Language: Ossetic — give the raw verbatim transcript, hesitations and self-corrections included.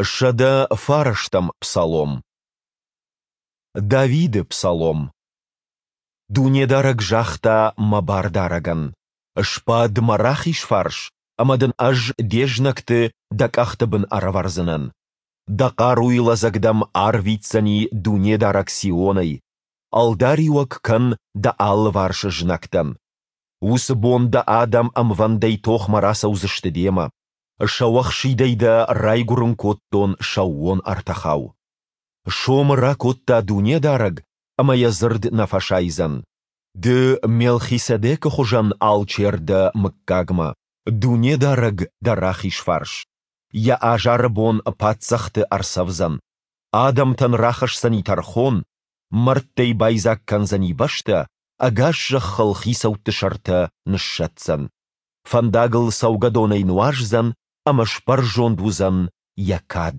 Сӕдӕ фарӕстӕм псалом. Давиды псалом. Дунедарӕг загъта мӕ Бардарӕгӕн: «Сбад мӕ рахиз фарс, ӕмӕ дын Ӕз де знӕгты дӕ къӕхты бын ӕрӕвӕрдзынӕн. Дӕ хъаруйы лӕдзӕг дӕм арвитдзӕни Дунедарӕг Сионӕй. Ӕлдариуӕг кӕн дӕ алыварс знӕгтӕн. Уыцы бон дӕ адӕм ӕмвӕндӕй тохмӕ рацӕудзысты демӕ. Сӕуӕхсидӕй дӕ райгуырын кодтон сӕууон ӕртӕхау. Сомы ракодта Дунедарӕг, ӕмӕ Йӕ дзырд нӕ фӕсайдзӕн: Ды Мелхиседекы хуызӕн алчер дӕ мыггагмӕ, Дунедарӕг дӕ рахиз фарс. Йӕ азары бон паддзӕхты ӕрцӕвдзӕн, адӕмтӕн рахӕсдзӕни тӕрхон, мӕрдтӕй байдзаг кӕндзӕни бӕстӕ, ӕгас зӕххыл хицӕутты сӕртӕ ныссӕтдзӕн. Фӕндагыл цӕугӕдонӕй нуаздзӕн, ӕмӕ сбӕрзонд уыдзӕн йӕ кад.